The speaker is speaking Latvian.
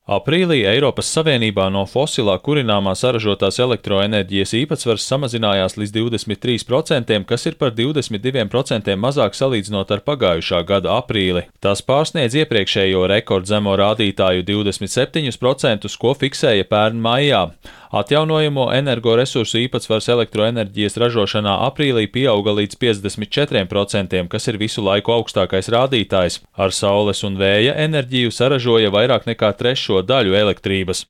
Aprīlī Eiropas Savienībā no fosilā kurināmā saražotās elektroenerģijas īpatsvars samazinājās līdz 23%, kas ir par 22% mazāk salīdzinot ar pagājušā gada aprīli. Tas pārsniedz iepriekšējo rekordzemo rādītāju 27%, ko fiksēja pērn maijā. Atjaunojamo energoresursu īpatsvars elektroenerģijas ražošanā aprīlī pieauga līdz 54%, kas ir visu laiku augstākais rādītājs. Ar saules un vēja enerģiju saražoja vairāk nekā trešo daļu elektrības.